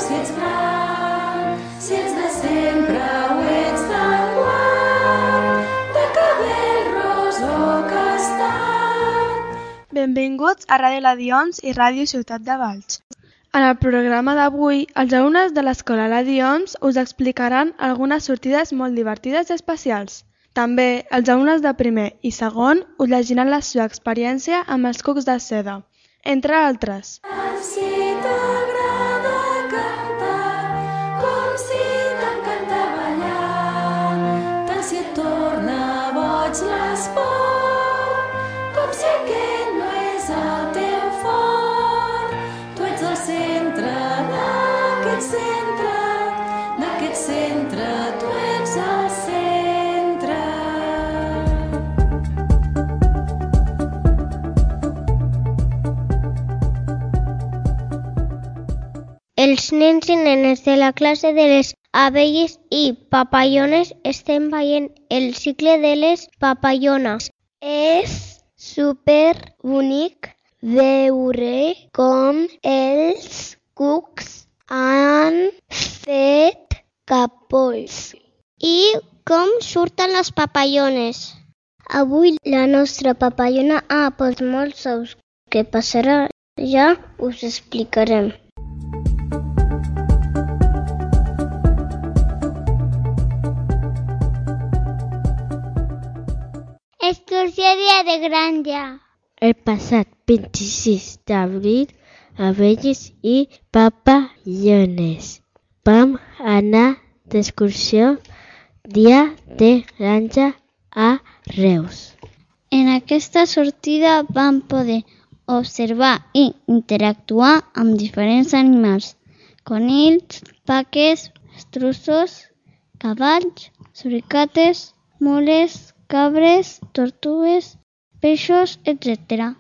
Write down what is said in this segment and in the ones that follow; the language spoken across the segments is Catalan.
si ets gran, si ets de sempre o ets d'enguany, de cabell ros o castany. Benvinguts a Ràdio Ladions i Ràdio Ciutat de Valls. En el programa d'avui, els alumnes de l'Escola Ladions us explicaran algunes sortides molt divertides i especials. També els alumnes de primer i segon us llegiran la seva experiència amb els cucs de seda, entre altres. Si t'agrada cantar, com si t'encanta ballar, tant si et torna boig l'esport, com si aquest no és el teu fort. Tu ets el centre d'aquest centre, tu ets el centre. Els nens i nenes de la classe de les abelles i papallones estem veient el cicle de les papallones. És super bonic veure com els cucs han fet capolls i com surten les papallones. Avui la nostra papallona ha posat molts ous. Què passarà? Ja us explicarem. Excursió dia de granja. El passat 26 d'abril, abelles i papallones vam anar d'excursió dia de granja a Reus. En aquesta sortida vam poder observar i interactuar amb diferents animals: conills, vaques, estruços, cavalls, suricates, mules, cabres, tortugues, peixos, etc.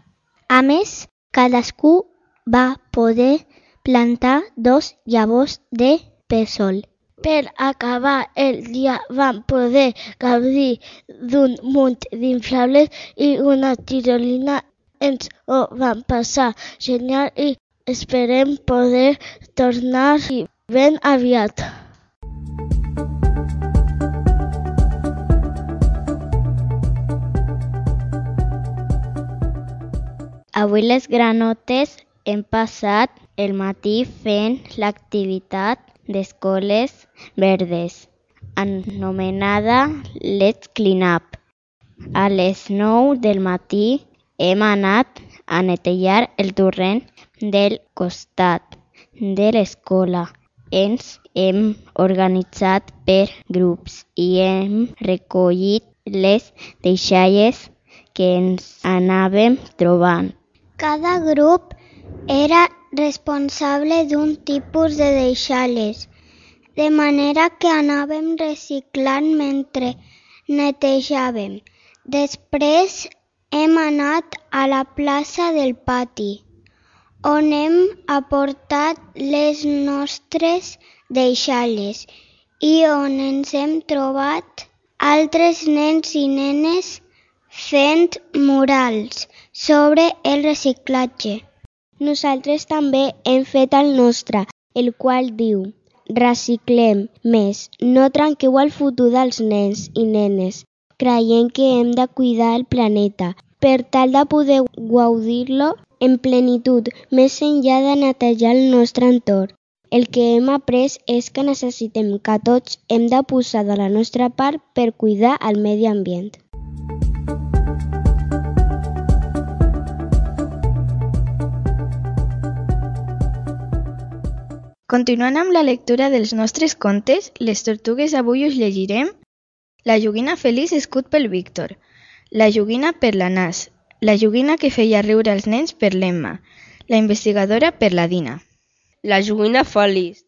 A més, cadascú va poder plantar 2 llavors de pèsol. Per acabar el dia vam poder gaudir d'un munt d'inflables i una tirolina. Ens ho vam passar genial i esperem poder tornar-hi ben aviat. Avui les granotes hem passat el matí fent l'activitat d'escoles verdes, anomenada Let's Clean Up. A les 9 del matí hem anat a netejar el torrent del costat de l'escola. Ens hem organitzat per grups i hem recollit les deixalles que ens anàvem trobant. Cada grup era responsable d'un tipus de deixalles, de manera que anàvem reciclant mentre netejàvem. Després hem anat a la plaça del pati, on hem aportat les nostres deixalles i on ens hem trobat altres nens i nenes fent murals sobre el reciclatge. Nosaltres també hem fet el nostre, el qual diu: reciclem més, no trenqueu el futur dels nens i nenes, creient que hem de cuidar el planeta, per tal de poder gaudir-lo en plenitud, més enllà de netejar el nostre entorn. El que hem après és que necessitem que tots hem de posar de la nostra part per cuidar el medi ambient. Continuant amb la lectura dels nostres contes, les tortugues avui us llegirem La joguina feliç escut pel Víctor, La joguina per la Nas, La joguina que feia riure els nens per l'Emma, La investigadora per la Dina. La joguina feliç.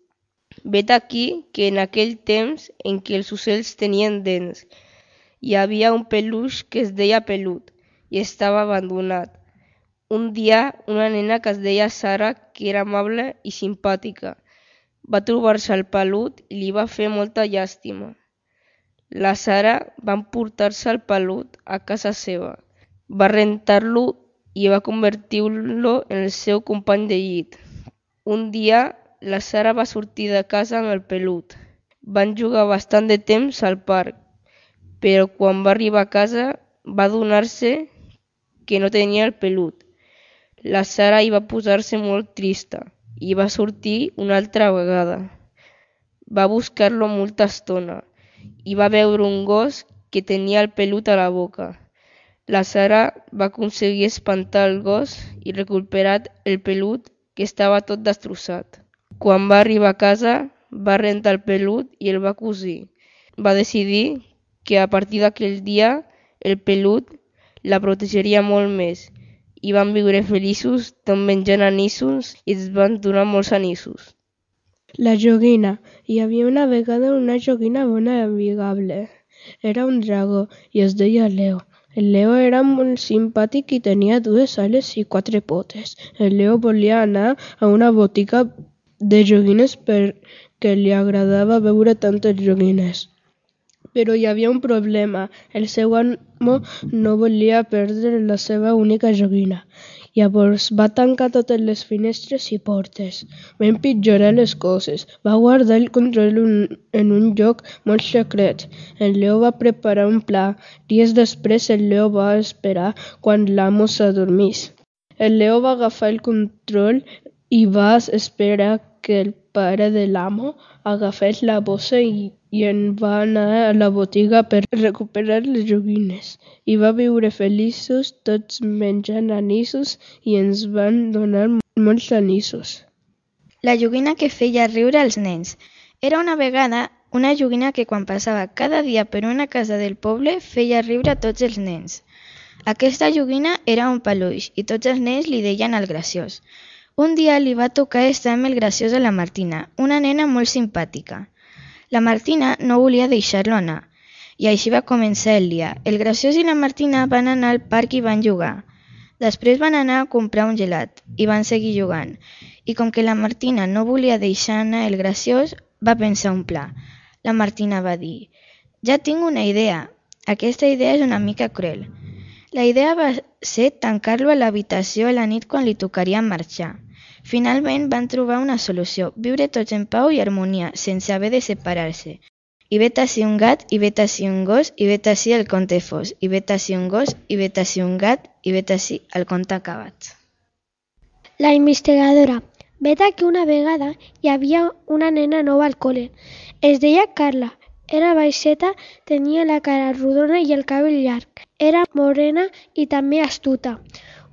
Vet aquí que en aquell temps en què els ocells tenien dents, hi havia un peluix que es deia Pelut i estava abandonat. Un dia, una nena que es deia Sara, que era amable i simpàtica, va trobar-se el pelut i li va fer molta llàstima. La Sara va emportar-se el pelut a casa seva, va rentar-lo i va convertir-lo en el seu company de llit. Un dia la Sara va sortir de casa amb el pelut. Van jugar bastant de temps al parc, però quan va arribar a casa va adonar-se que no tenia el pelut. La Sara hi va posar-se molt trista i va sortir una altra vegada. Va buscar-lo molta estona i va veure un gos que tenia el pelut a la boca. La Sara va aconseguir espantar el gos i recuperar el pelut, que estava tot destrossat. Quan va arribar a casa, va rentar el pelut i el va cosir. Va decidir que a partir d'aquell dia el pelut la protegeria molt més i van viure feliços tot menjant anissos i es van donar molts anissos. La joguina. Hi havia una vegada una joguina bona i amigable. Era un dragó i es deia Leo. El Leo era molt simpàtic i tenia 2 ales i 4 potes. El Leo volia anar a una botiga de joguines perquè li agradava veure tantes joguines. Però hi havia un problema. El seu amo no volia perdre la seva única joguina. Llavors va tancar totes les finestres i portes. Va empitjorar les coses. Va guardar el control en un lloc molt secret. El Leo va preparar un pla. Dies després el Leo va esperar quan l'amo s'adormís. El Leo va agafar el control i va esperar que el pare de l'amo agafés la bossa i en va anar a la botiga per recuperar les joguines. I va viure feliços tots menjant anissos i ens van donar molts anissos. La joguina que feia riure als nens. Era una vegada una joguina que quan passava cada dia per una casa del poble feia riure a tots els nens. Aquesta joguina era un peluix i tots els nens li deien el graciós. Un dia li va tocar estar amb el graciós a la Martina, una nena molt simpàtica. La Martina no volia deixar-lo anar, i així va començar el dia. El graciós i la Martina van anar al parc i van jugar. Després van anar a comprar un gelat i van seguir jugant. I com que la Martina no volia deixar anar el graciós, va pensar un pla. La Martina va dir: «Ja tinc una idea. Aquesta idea és una mica cruel». La idea va ser tancar-lo a l'habitació a la nit quan li tocaria marxar. Finalment van trobar una solució, viure tots en pau i harmonia, sense haver de separar-se. I vet ací un gat, i vet ací un gos, i vet ací el conte fos, i vet ací un gos, i vet ací un gat, i vet ací el conte acabat. La investigadora. Vet que una vegada hi havia una nena nova al col·le. Es deia Carla. Era baixeta, tenia la cara rodona i el cabell llarg. Era morena i també astuta.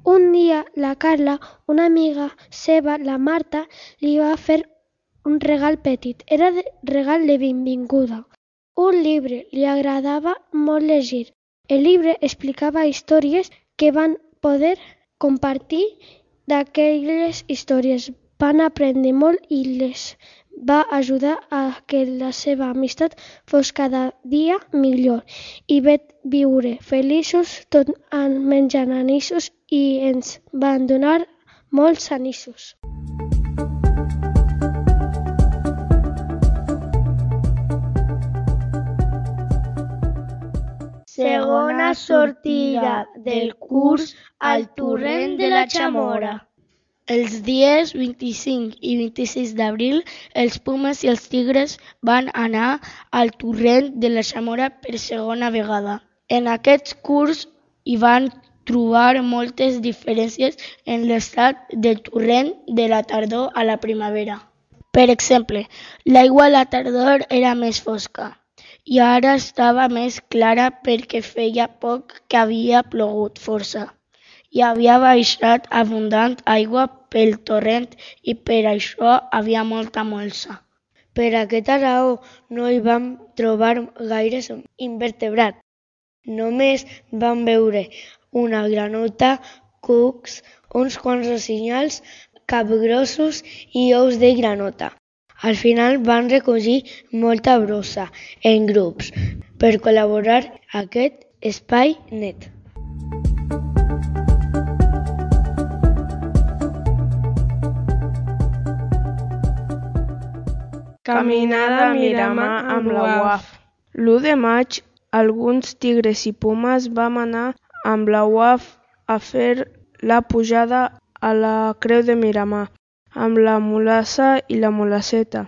Un dia la Carla, una amiga seva, la Marta, li va fer un regal petit. Era regal de benvinguda. Un llibre. Li agradava molt llegir. El llibre explicava històries que van poder compartir. D'aquelles històries van aprendre molt i les va ajudar a que la seva amistat fos cada dia millor i vet viure feliços tot menjant anissos i ens van donar molts anissos. Segona sortida del curs al torrent de la Chamora. Els dies 25 i 26 d'abril, els Pumes i els Tigres van anar al torrent de la Chamora per segona vegada. En aquest curs hi van trobar moltes diferències en l'estat del torrent de la tardor a la primavera. Per exemple, l'aigua a la tardor era més fosca i ara estava més clara perquè feia poc que havia plogut força. Hi havia baixat abundant aigua pel torrent i per això havia molta molsa. Per aquesta raó no hi vam trobar gaires invertebrats. Només vam veure una granota, cucs, uns quants rossinyals, capgrossos i ous de granota. Al final van recollir molta brossa en grups per col·laborar a aquest espai net. Caminada a Miramar amb la UAF. L'1 de maig, alguns tigres i pumes vam anar amb la UAF a fer la pujada a la Creu de Miramar. amb la mulassa i la mulasseta,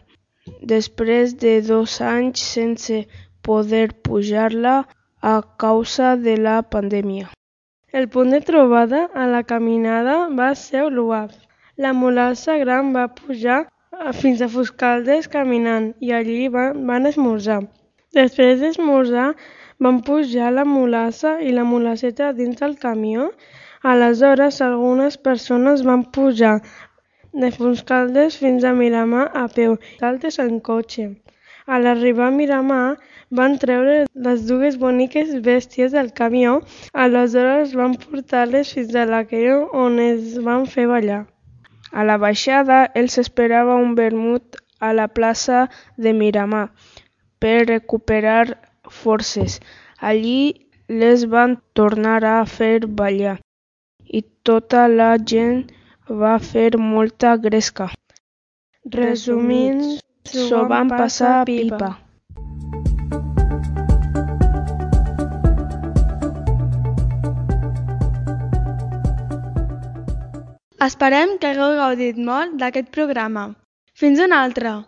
després de 2 anys sense poder pujar-la a causa de la pandèmia. El punt de trobada a la caminada va ser l'UAF. La mulassa gran va pujar fins a Fuscaldes caminant i allí van esmorzar. Després d'esmorzar van pujar la mulassa i la mulasseta dins del camió. Aleshores algunes persones van pujar de Fuscaldes fins a Miramar a peu, d'altres en cotxe. A l'arribar a Miramar van treure les 2 boniques bèsties del camió, aleshores van portar-les fins a la creu on es van fer ballar. A la baixada els esperava un vermut a la plaça de Miramar per recuperar forces. Allí les van tornar a fer ballar i tota la gent va fer molta gresca. Resumint, s'ho van passar pipa. Esperem que hagueu gaudit molt d'aquest programa. Fins una altra!